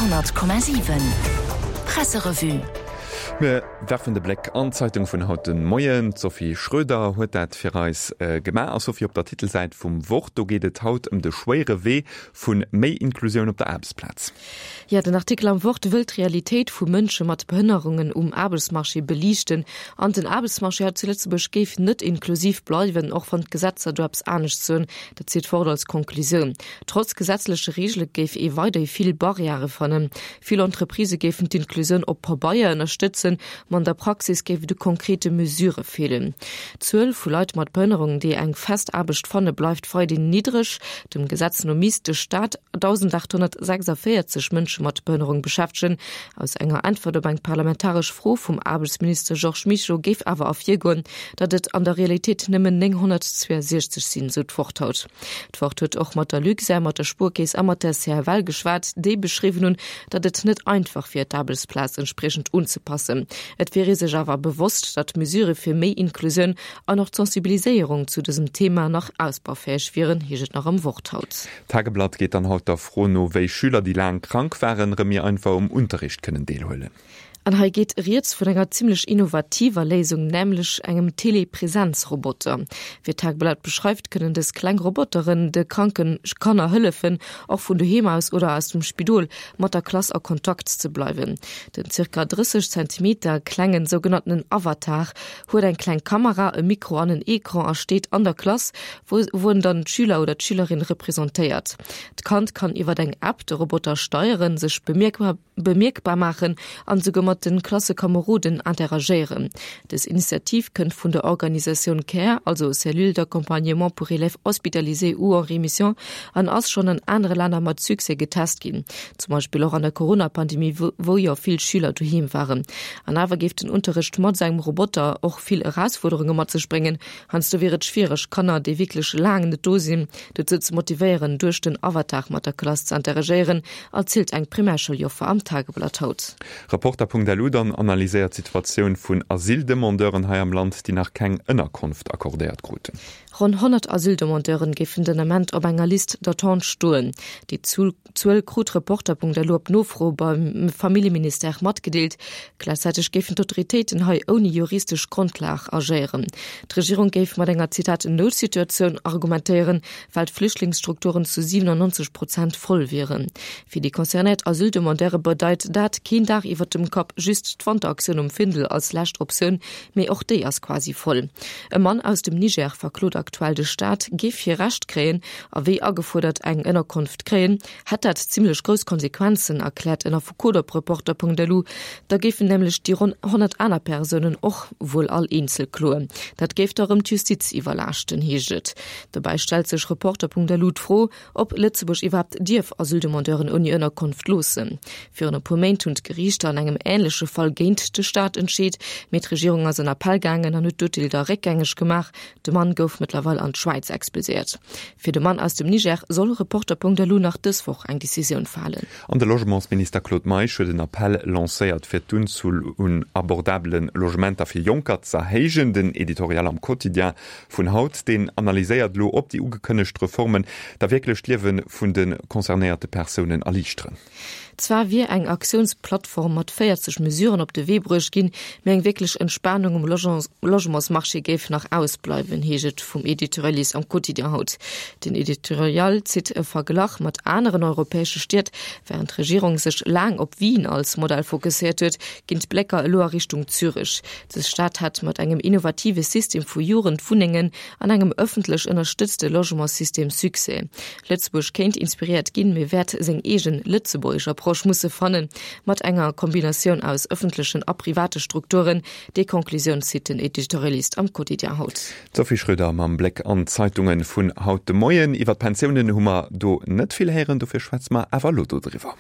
100,7 Presserevue. Mir werfen de Bléck an d'Zeitung vun haut de Moien. D'Sophie Schröder huet dat fir eis gemaach. A Sophie, op der Titelsäit vum Wort, do geet et haut ëm de schwéiere Wee vu méi Inklusioun op der Aarbechtsplaz. Jo, den Artikel am Wort wëll d'Realitéit vu Mënsche mat Behënnerungen um Aarbechtsmarché beliichten. An den Aarbechtsmarché hei zu Lëtzebuerg géif net inklusiv bleiwen, och wann d'Gesetzer do eppes anescht soen. Dat zitt d'Wort als Konklusioun. Trotz gesetzleche Reegele géif ee weiderhi vill Barrièrë fannen. Vill Entreprisë géifen d'Inklusioun op Pabeier ënnerstëtzen, ma an der Praxis géif et u konkrete Mesurë feelen. D'Zuel vu Leit mat Behënnerung, déi eng fest Aarbecht fanne bleift weiderhin niddreg. Dem Gesetz no misst de Staat 1.846 Mënsche mat Behënnerung beschäftegen. Aus enger Äntwert op eng parlamentaresch Fro vum Aarbechtsminister Georges Mischo géif awer ervirgoen, datt et an der Realitéit nëmmen 962 sinn, sou d'Wort haut. D'Wort huet och mat der Luxair, mat der Spuerkeess a mat der CFL geschwat, déi beschriwwen hunn, datt et net einfach wier, d'Aarbechtsplaz entspriechend unzepassen. Et wier ee sech awer bewosst, datt d'Mesurë fir méi Inklusioun an och d'Sensibiliséierung zu dësem Thema nach ausbaufäeg wieren, heescht et nach am Wort haut. D'Tageblatt geet dann haut der Fro no, wéi Schüler, déi laang krank waren, erëm méi einfach um Unterricht kënnen deelhuelen. An hei geet rieds vun enger zimmlech innovativer Léisung, nämlech engem Telepresenzroboter. Wéi d'Tageblatt beschreift, kënnen dës kleng Roboteren de kranke Kanner hëllefen, och vun doheem aus oder aus dem Spidol mat der Klass a Kontakt ze bleiwen. Den zirka 30 Zentimeter klengen sougenanntenen Avatar huet eng kleng Kamera, e Mikro an en Ecran a steet an der Klass, wou en dann d'Schüler oder d'Schülerin representéiert. D'Kand kann iwwer eng App de Roboter steieren, sech bemierkbar bemierkbar maachen an esouguer mat de Klassekomeroden interagéieren. Dës Initiativ kënnt vun der Organisatioun care, also Cellule d'accompagnement pour élèves hospitalisés ou en rémission, an ass schonn an anere Länner mat Succès getest ginn, zum Beispill och an der Corona-Pandemie, wou jo vill Schüler doheem waren. An awer géif den Unterrecht mat esou engem Roboter och vill Erausfuerderunge mat sech bréngen. Heiansdo wier et schwiereg, Kanner, déi wierklech laang net do sinn, dozou ze motivéieren, duerch den Avatar mat der Klass ze interagéieren, erzielt eng Primärsschouljoffer am Tageblatt haut. Reporter.lu dann analyséiert d'Situatioun vun Asyldemandeuren hei am Land, déi nach keng Ënnerkonft accordéiert kruten. Ronn 100 Asyldemandeuren géifen den Ament op enger Liste d'attente stoen. Déi Zuel krut Reporter.lu op Nofro beim Familljeministère matgedeelt. Gläichzäiteg géifen d'Autoritéiten hei ouni juristesch Grondlag agéieren. D'Regierung géif mat enger, Zitat, Noutsituatioun argumentéieren, well d'Flüchtlingsstrukturen zu 97 Prozent voll wieren. Fir déi concernéiert Asyldemandeure bedeit dat keen Daach iwwer dem Kapp, just d'Wanteraktioun um Findel als lescht Optioun, mee och déi ass quasi voll. E Mann aus dem Niger verklot aktuell de Staat, géif hie Recht kréien a wéi agefuerdert eng Ënnerkonft kréien, hätt dat zimmlech grouss Konsequenzen, erkläert en Affekot op Reporter.lu. Da géifen nämlech déi ronn 100 aner Persounen och wuel all eenzel kloen. Dat géif da rëm d'Justiz iwwerlaaschten, heescht et. Dobäi stellt sech Reporter.lu d'Fro, ob Lëtzebuerg iwwerhaapt dierf Asyldemandeuren ouni Ënnerkonft loossen. Virun e puer Méint hunn d'Geriichter an engem änleche Fall géint de Staat entscheet, mee d'Regierung ass an Appell gaangen an huet d'Urteel da réckgängeg gemaach. De Mann gouf mëttlerweil an d'Schwäiz expulséiert. Fir de Mann aus dem Niger soll Reporter.lu nach dës Woch eng Decisioun falen. An de Logementsminister Claude Meisch huet en Appell lancéiert, fir d'Unzuel un abordabele Logementer fir Jonker z'erhéijen. Den Editorial am Quotidien vun haut, deen analyséiert elo, ob déi ugekënnegt Reformen da wierklech d'Liewe vun de concernéierte Persounen erliichteren. Zwar wier eng Aktiounsplattform mat 40 Mesuren op de Wee bruecht ginn, mee eng wierklech Entspanung um Logementsmarché géif nach ausbleiwen, heescht et vum Editorialist am Quotidien haut. Den Editorial zitt e Verglach mat aneren europäesche Stied. Wärend d'Regierung sech laang op Wien als Modell fokusséiert huet, ginn d'Blécker elo a Richtung Zürech. Dës Stad hätt mat engem innovative System vu Jugendwunnengen an engem ëffentlech ënnerstëtzte Logementssystem Succès. Lëtzebuerg kéint inspiréiert ginn, mee wäert seng eegen lëtzebuergesch Approche musse fannen, mat enger Kombinatioun aus ëffentlechen a private Strukturen. Déi Conclusioun zitt den Editorialist am Quotidien haut. D'Sophie Schröder mam Bléck an d'Zeitunge vun haut de Moien. Iwwer d'Pensiounen hu mer do net vill héieren, dofir schwätze mer awer elo dodriwwer.